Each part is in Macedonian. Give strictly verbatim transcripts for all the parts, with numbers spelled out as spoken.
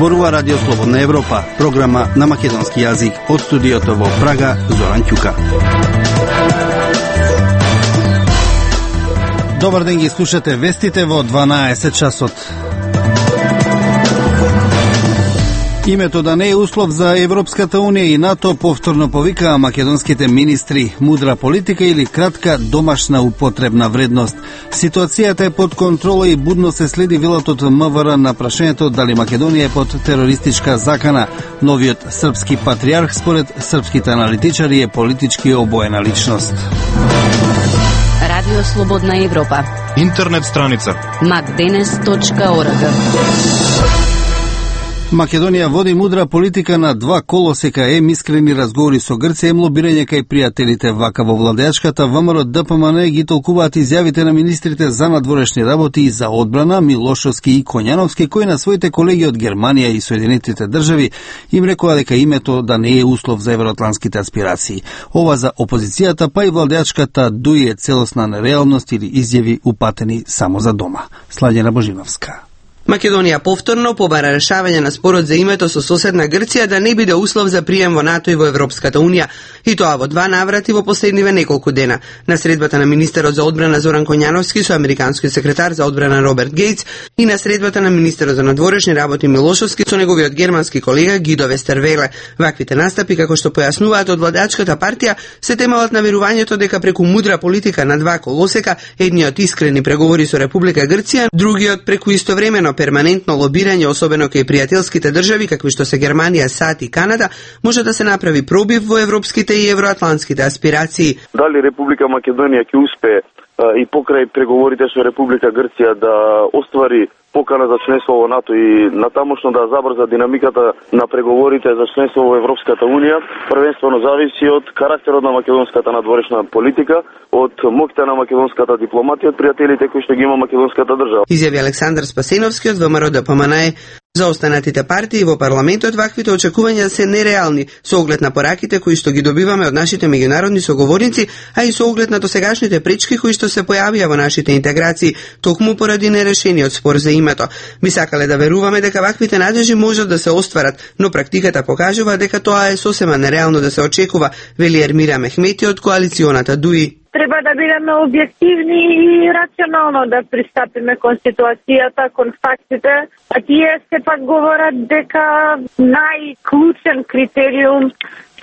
Зборува Радио Слободна Европа, програма на македонски јазик од студиото во Прага, Зоран Ќука. Добар ден, ги слушате вестите во дванаесет часот. Името да не е услов за Европската Унија и НАТО повторно повикаа македонските министри. Мудра политика или кратка домашна употребна вредност. Ситуацијата е под контрола и будно се следи, велат од МВР на прашањето дали Македонија е под терористичка закана. Новиот српски патриарх според српските аналитичари е политички обоена личност. Радио Слободна Европа. Интернет страница макденес точка орг. Македонија води мудра политика на два колосека, ем искрени разговори со Грција, ем лобирање кај пријателите. Вака во владеачката ВМРО ДПМН ги толкуваат изјавите на министрите за надворешни работи и за одбрана Милошовски и Коњановски, кои на своите колеги од Германија и Соединетите држави им рекоа дека името да не е услов за евроатлантските аспирации. Ова за опозицијата, па и владеачката дуи е целосна нереалност или изјави упатени само за дома. Сладјана Божиновска. Македонија повторно побара решавање на спорот за името со соседна Грција да не биде услов за прием во НАТО и во Европската Унија, и тоа во два наврати во последниве неколку дена. На средбата на министерот за одбрана Зоран Коњановски со американскиот секретар за одбрана Роберт Гејтс и на средбата на министерот за надворешни работи Милошовски со неговиот германски колега Гидо Вестервеле. Ваквите настапи, како што појаснуваат од владеачката партија, се темалат на верувањето дека преку мудра политика на два колосека, едниот искрени преговори со Република Грција, другиот преку истовремено перманентно лобирање, особено кај пријателските држави, какви што се Германија, САД и Канада, може да се направи пробив во европските и евроатлантските аспирации. Дали Република Македонија ќе успее и покрај преговорите со Република Грција да оствари покана за членство во НАТО и натамошно да забрза динамиката на преговорите за членство во Европската Унија, првенствено зависи од карактерот на македонската надворешна политика, од моќта на македонската дипломатија, од пријателите кои што ги има македонската држава. Изјави Александар Спасеновски од ВМРО ДПМН. За останатите партии во парламентот ваквите очекувања се нереални, со оглед на пораките кои што ги добиваме од нашите меѓународни соговорници, а и со оглед на досегашните пречки кои што се појавија во нашите интеграции, токму поради нерешениот спор за името. Би сакале да веруваме дека ваквите надежи можат да се остварат, но практиката покажува дека тоа е сосема нереално да се очекува, вели Ермира Мехмети од коалиционата ДУИ. Треба да бидеме објективни и рационално да пристапиме кон ситуацијата, кон фактите, а тие сепак говорат дека најклучен критериум,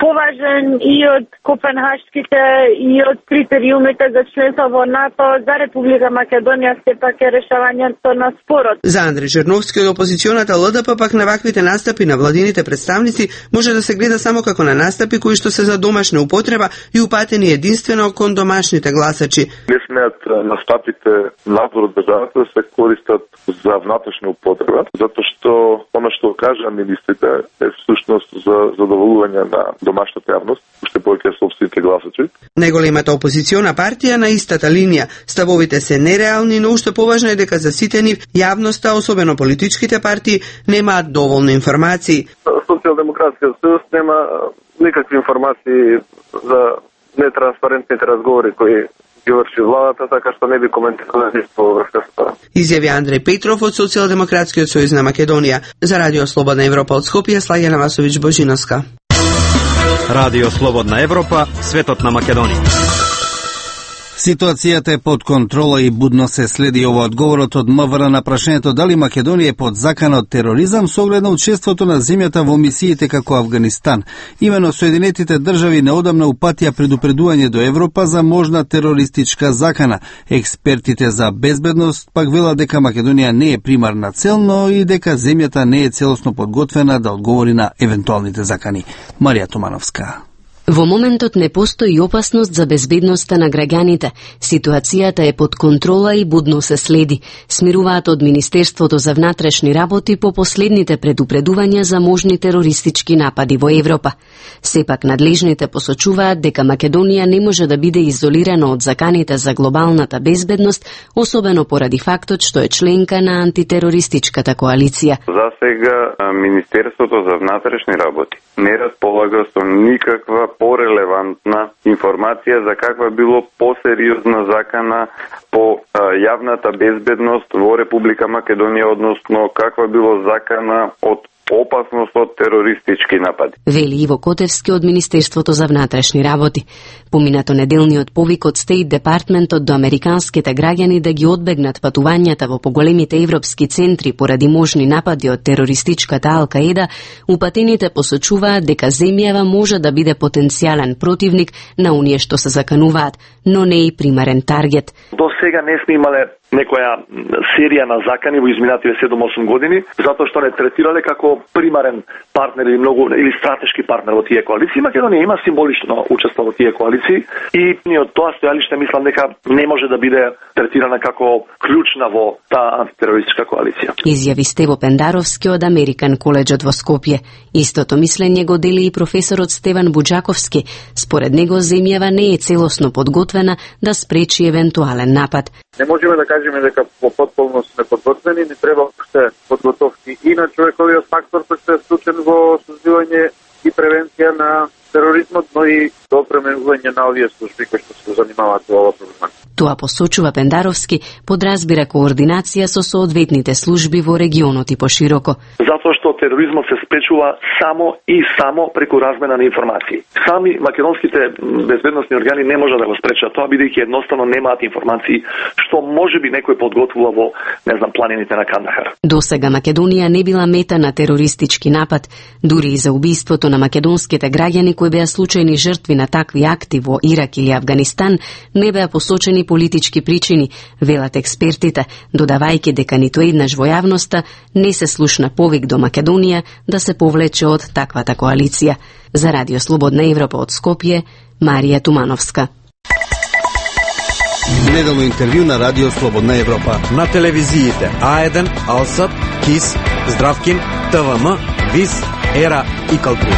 поважен и од копенхашките и од критериумите за членство во НАТО за Република Македонија сепак е решавањето на спорот. За Андреј Черновски од опозиционата ЛДП пак на ваквите настапи на владините представници може да се гледа само како на настапи кои што се за домашна употреба и упатени единствено кон домашните гласачи. Не смеат настапите надвор од државата да се користат за внатрешна употреба, затоа што она што кажа министрите е всушност за задоволување на домашната јавност, уште повеќе собствените гласачи. Најголемата опозициона партија на истата линија. Ставовите се нереални, но уште поважно е дека за сите нив јавноста, особено политичките партии, немаат доволно информации. Социјалдемократскиот сојуз нема никакви информации за нетранспарентните разговори кои ги врши владата, така што не би коментирал ништо во врска со тоа. Изјави Андреј Петров од Социјалдемократскиот сојуз на Македонија. За Радио Слободна Европа од Скопје, Сладјана Васовиќ Божиновска. Радио Слободна Европа, светот на Македонија. Ситуацијата е под контрола и будно се следи. Ова одговорот од МВР на прашањето дали Македонија е под закана од тероризам со оглед на учеството на земјата во мисиите како Авганистан. Имено Соединетите држави неодамна упатија предупредување до Европа за можна терористичка закана. Експертите за безбедност пак велат дека Македонија не е примарна цел, но и дека земјата не е целосно подготвена да одговори на евентуалните закани. Марија Томановска. Во моментот не постои опасност за безбедноста на граѓаните. Ситуацијата е под контрола и будно се следи, смируваат од Министерството за внатрешни работи по последните предупредувања за можни терористички напади во Европа. Сепак надлежните посочуваат дека Македонија не може да биде изолирана од заканите за глобалната безбедност, особено поради фактот што е членка на антитерористичката коалиција. За сега Министерството за внатрешни работи не располага со никаква порелевантна информација за каква било посериозна закана по а, јавната безбедност во Република Македонија, односно каква било закана од опасност од терористички напади. Вели Иво Котевски од Министерството за внатрешни работи. Поминато неделниот повик од Стейт Департментот до американските граѓани да ги одбегнат патувањата во поголемите европски центри поради можни напади од терористичката Ал-Каеда, упатените посочуваат дека земјава може да биде потенцијален противник на оние што се закануваат, но не и примарен таргет. До сега не сме имале некоја серија на закани во изминативе седум-осум години, затоа што не третирале како примарен партнер или многу или стратешки партнер во тие коалиции. Македонија има символично учество во тие коалиции и од тоа стојалиште мислам дека не може да биде третирана како клучна во таа антитерористичка коалиција. Изјави Стево Пендаровски од Американ коледжот во Скопје. Истото мислење го дели и професорот Стеван Буџаковски. Според него земјава не е целосно подготвена да спречи евентуален напад. Не можеме да кажеме дека во потполност сме подготвени, ни треба уште подготовки и на човековиот фактор кој се е вклучен во создавање и превенција на тероризмот, но и до пременување на овие служби кои што се занимаваат во ова проблема. Тоа посочува Пендаровски, подразбира координација со соодветните служби во регионот и пошироко. Затоа што тероризмот се спречува само и само преку размена на информации. Сами македонските безбедносни органи не можат да го спречат тоа, бидејќи едноставно немаат информации што можеби некој подготвува во, не знам, планините на Кандахар. Досега Македонија не била мета на терористички напад, дури и за убиството на македонските граѓани кои беа случајни жртви на такви акти во Ирак или Авганистан, не беа посочени политички причини, велат експертите, додавајќи дека ниту еднаш во јавноста не се слушна повик до Македонија да се повлече од таквата коалиција. За Радио Слободна Европа од Скопје, Марија Тумановска. Неделно интервју на Радио Слободна Европа. На телевизиите А еден, Алсат, КИС, Здравкин, ТВМ, ВИС, Ера и Калтри.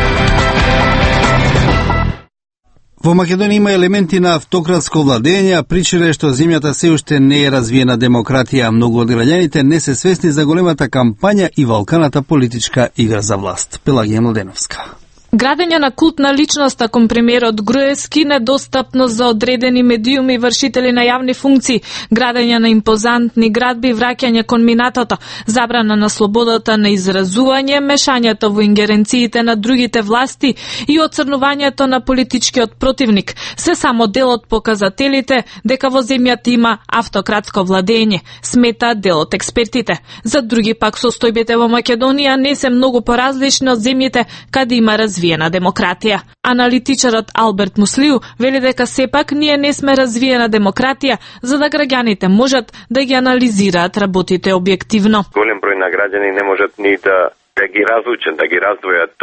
Во Македонија има елементи на автократско владење, а причина е што земјата се уште не е развиена демократија. Многу од граѓаните не се свесни за големата кампања и валканата политичка игра за власт. Пелагија Младеновска. Градење на култна личност кон премиерот Груевски, недостапност за одредени медиуми и вршители на јавни функции, градење на импозантни градби, враќање кон минатото, забрана на слободата на изразување, мешањето во ингеренциите на другите власти и оцрнувањето на политичкиот противник. Се само дел од показателите дека во земјата има автократско владење, смета дел од експертите. За други пак состојбите во Македонија не се многу поразлични од земјите каде има развитие развиена демократија. Аналитичарот Алберт Муслиу вели дека сепак ние не сме развиена демократија, за да граѓаните можат да ги анализираат работите објективно. Голем број на граѓани не можат ни да, да ги разлучат, да ги раздвојат,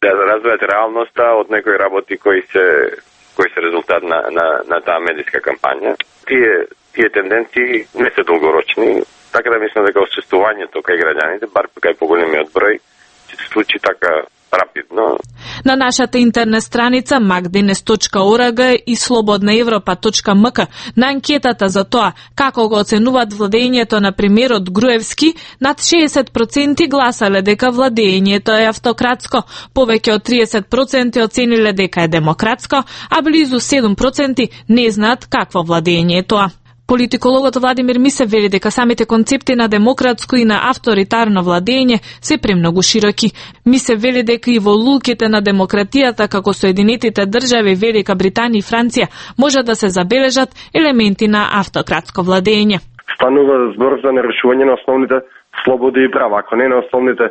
да раздвојат реалноста од некои работи кои се кои се резултат на на на таа медиска кампања. Тие тие тенденции не се долгорочни, така да мислам дека освестувањето кај граѓаните, бар кај поголемиот број, ќе се случи така рапидно. На нашата интернет страница макденес точка орг и слободна европа точка ем ка на анкетата за тоа како го оценуваат владењето на премиерот Груевски, над шеесет проценти гласале дека владењето е автократско, повеќе од триесет проценти оцениле дека е демократско, а близу седум проценти не знаат какво владење е тоа. Политикологот Владимир Мисев вели дека самите концепти на демократско и на авторитарно владење се премногу широки. Мисев вели дека и во лулките на демократијата како Соединетите држави, Велика Британија и Франција може да се забележат елементи на автократско владење. Станува збор за нарешување на основните слободи и права, ако не на основните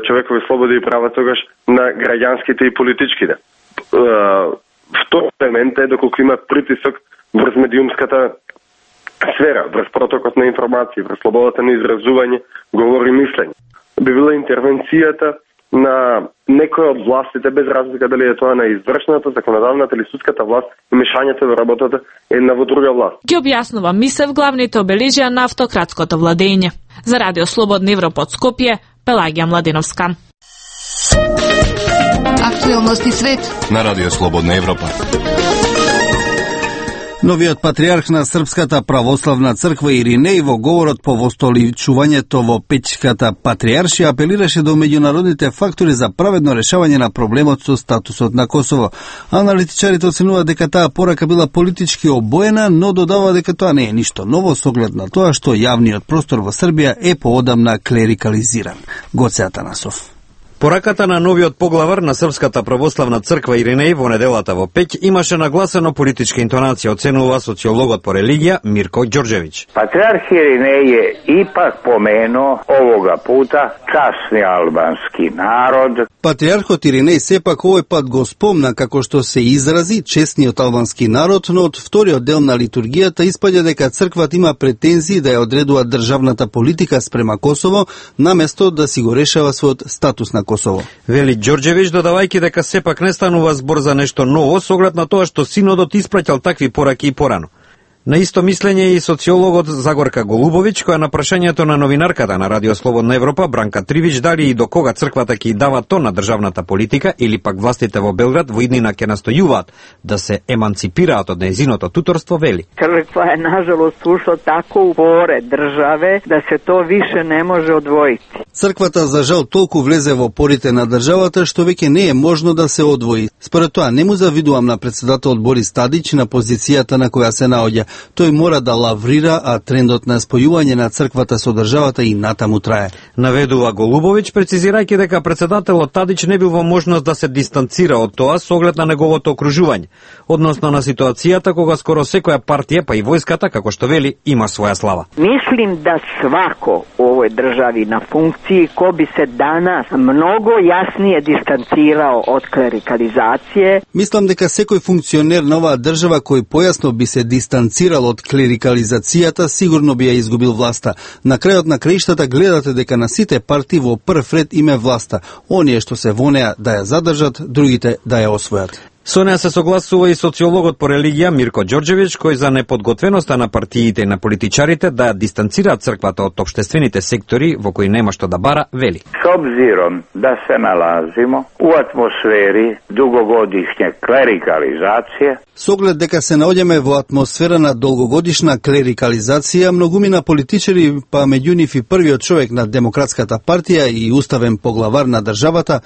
човекови слободи и права, тогаш на граѓанските и политичките. Втор елемент е доколку има притисок врз медиумската сфера, врз протокот на информации, врз слободата на изразување, говори и мислење. Би била интервенцијата на некој од властите, без разлика дали е тоа на извршната, законодавната или судската власт, и мешањето во работата една во друга власт. Ги објаснува Мисев главните обележја на автократското владење. За Радио Слободна Европа од Скопје, Пелагија Младеновска. Актуелности свет на Радио Слободна Европа. Новиот патриарх на Српската православна црква Иринеј во говорот по востоличувањето во Печката патриаршија апелираше до меѓународните фактори за праведно решавање на проблемот со статусот на Косово. Аналитичарите оценуваат дека таа порака била политички обоена, но додава дека тоа не е ништо ново со оглед на тоа што јавниот простор во Србија е поодамна клерикализиран. Гоце Атанасов. Пораката на новиот поглавар на Српската православна црква Иринеј во неделата во Пеќ имаше нагласено политичка интонација, оценува социологот по религија Мирко Ѓорđević. Патриарх Иринеј е ипак поменуо овога пута часни албански народ. Патриархот Иринеј сепак овој пат го спомна како што се изрази честниот албански народ, но од вториот дел на литургијата испаѓа дека црквата има претензии да ја одредува државната политика спрема Косово, наместо да си го решава својот статус на Косово. Вели Ѓорđević, додавајќи дека сепак не станува збор за нешто ново, со оглед на тоа што синодот испраќал такви пораки и порано. На исто мислење и социологот Загорка Голубовиќ, која на прашањето на новинарката на Радио Слободна Европа Бранка Тривич дали и до кога црквата ќе дава тон на државната политика или пак властите во Белград во иднина ќе настојуваат да се еманципираат од нејзиното туторство, вели: Црква е нажалост ушла тако у поре државе да се то више не може одвоити. Црквата за жал толку влезе во порите на државата што веќе не е можно да се одвои. Според тоа не му завидувам на претседателот Борис Тадич на позицијата на која се наоѓа. Тој мора да лаврира, а трендот на спојување на црквата со државата и натаму трае. Наведува Голубовиќ, прецизирајќи дека претседателот Тадич не бил во можност да се дистанцира од тоа со оглед на неговото окружување, односно на ситуацијата кога скоро секоја партија, па и војската, како што вели, има своја слава. Мислим да свако овој држави на функции ко би се данас многу јаснije дистанцирao од клерикализација. Мислам дека секој функционер на оваа држава кој појасно би се дистанцирал од клерикализацијата, сигурно би ја изгубил власта. На крајот на краиштата гледате дека на сите партии во прв ред име власта. Оние што се во неа да ја задржат, другите да ја освојат. Со неа се согласува и социологот по религија Мирко Ѓорđević, кој за неподготвеноста на партиите и на политичарите да ја дистанцираат црквата од општествените сектори во кои нема што да бара, вели: С обзиром да се налазимо у атмосфери дугогодишње клерикализација, Со оглед дека се наоѓаме во атмосфера на долгогодишна клерикализација, многумина политичари, па меѓу нив и првиот човек на Демократската партија и уставен поглавар на државата,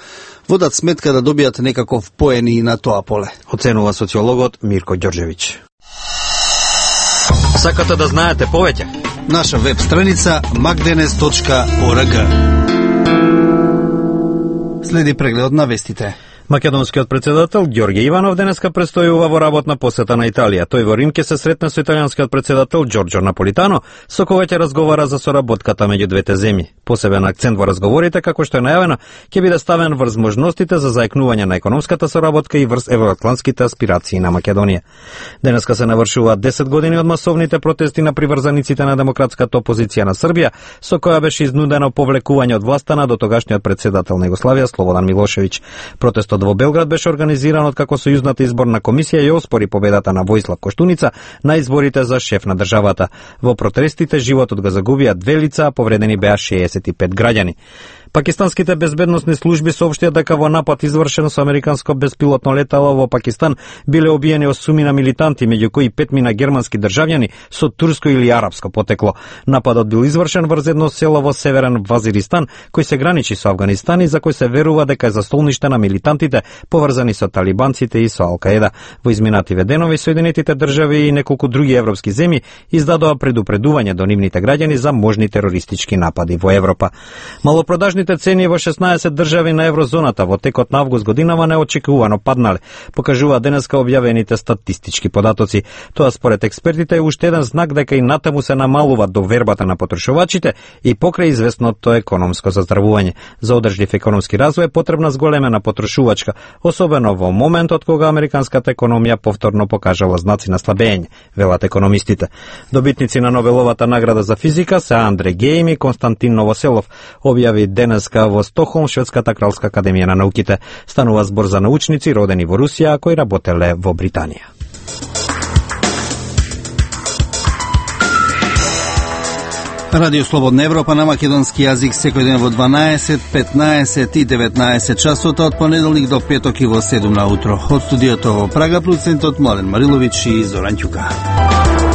водат сметка да добијат некаков поен и на тоа поле. Оценува социологот Мирко Ѓорđević. Сакате да знаете повеќе? Наша веб страница magdenes точка org. Следи преглед на вестите. Македонскиот председател Ѓорѓе Иванов денеска престојува во работна посета на Италија. Тој во Рим ќе се сретне со италијанскиот председател Ѓорџо Наполитано, со кога ќе разговара за соработката меѓу двете земји. Посебен акцент во разговорите, како што е најавено, ќе биде ставен врз можностите за заекнување на економската соработка и врз евроатлантските аспирации на Македонија. Денеска се навршуваат десет години од масовните протести на приврзаниците на демократската опозиција на Србија, со која беше изнудено повлекување од власта на дотогашниот председател на Југославија Слободан Милошевиќ. Протестот во Белград беше организиран од како сојузната изборна комисија и оспори победата на Војслав Коштуница на изборите за шеф на државата. Во протестите животот го загубија две лица, а повредени беа шеесет и пет граѓани. Пакистанските безбедносни служби соопштија дека во напад извршен со американско беспилотно летало во Пакистан биле убиени осумина милитанти, меѓу кои петмина германски државјани со турско или арапско потекло. Нападот бил извршен врз едно село во северен Вазиристан, кој се граничи со Авганистан и за кој се верува дека е застолниште на милитантите поврзани со талибанците и со Ал-Каеда. Во изминативе денови Соединетите држави и неколку други европски земји издадоа предупредување до нивните граѓани за можни терористички напади во Европа. Малопродажни цени во шеснаесет држави на еврозоната во текот на август годинава неочекувано паднале, покажува денеска објавените статистички податоци. Тоа според експертите е уште еден знак дека и натаму се намалува довербата на потрошувачите и покрај известното економско заздравување. За одржлив економски развој е потребна зголемена потрошувачка, особено во моментот кога американската економија повторно покажала знаци на слабење, велат економистите. Добитници на Нобеловата награда за физика се Андре Геим и Константин Новоселов, објави денеска во Стокхолм Шведската кралска академија на науките. Станува збор за научници родени во Русија, кои работеле во Британија. Радио Слободна Европа на македонски јазик секој ден во дванаесет, петнаесет и деветнаесет часот од понеделник до петок и во седум на утро. Од студиото во Прага, продуцентот Младен Мариловиќ и Зоран Ќука.